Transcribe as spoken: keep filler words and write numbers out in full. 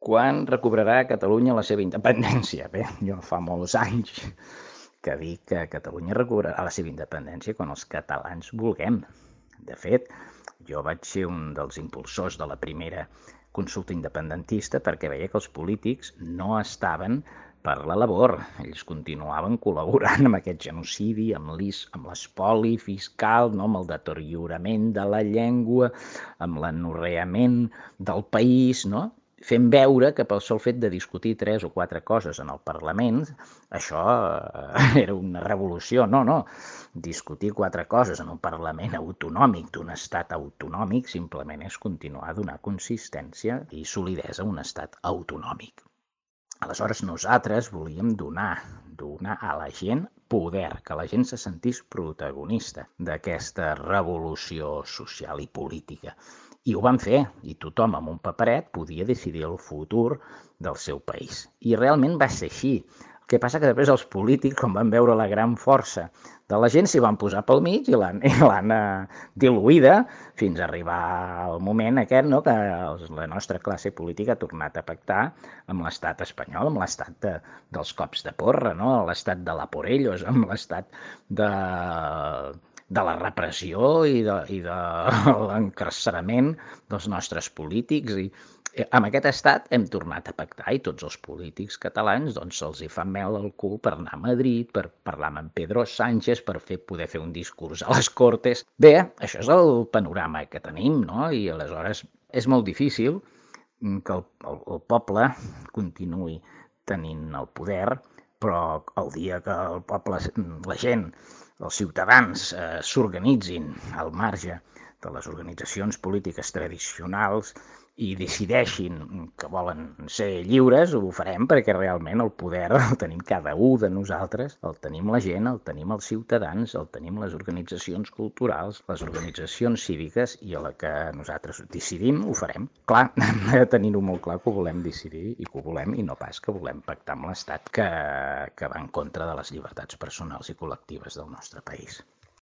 Quan recobrarà Catalunya la seva independència? Bé, jo fa molts anys que dic que Catalunya recobrarà la seva independència quan els catalans vulguem. De fet, jo vaig ser un dels impulsors de la primera consulta independentista perquè veia que els polítics no estaven per la labor. Ells continuaven col·laborant amb aquest genocidi, amb l'espoli fiscal, no? Amb el deteriorament de la llengua, amb l'anorreament del país, no? Fent veure que pel sol fet de discutir tres o quatre coses en el Parlament, això era una revolució. No, no. Discutir quatre coses en un Parlament autonòmic d'un estat autonòmic simplement és continuar a donar consistència i solidesa a un estat autonòmic. Aleshores, nosaltres volíem donar, donar a la gent poder, que la gent se sentís protagonista d'aquesta revolució social i política. I ho van fer, i tothom amb un paperet podia decidir el futur del seu país. I realment va ser així. El que passa que després els polítics, quan van veure la gran força de la gent, s'hi van posar pel mig i l'han diluïda fins a arribar al moment aquest, no?, que la nostra classe política ha tornat a pactar amb l'estat espanyol, amb l'estat de, dels cops de porra, no?, l'estat de la por ellos, amb l'estat de... de la repressió i de, i de l'encarcerament dels nostres polítics. I amb aquest estat hem tornat a pactar i tots els polítics catalans doncs se'ls hi fa mel al cul per anar a Madrid, per parlar amb Pedro Sánchez, per fer, poder fer un discurs a les Cortes. Bé, això és el panorama que tenim, no? I aleshores és molt difícil que el, el, el poble continuï tenint el poder, però el dia que el poble, la gent, els ciutadans eh, s'organitzin al marge de les organitzacions polítiques tradicionals i decideixin que volen ser lliures, ho farem perquè realment el poder el tenim cada un de nosaltres, el tenim la gent, el tenim els ciutadans, el tenim les organitzacions culturals, les organitzacions cíviques, i a la que nosaltres decidim ho farem. Clar, hem de tenir-ho molt clar que ho volem decidir i que ho volem, i no pas que volem pactar amb l'Estat que, que va en contra de les llibertats personals i col·lectives del nostre país.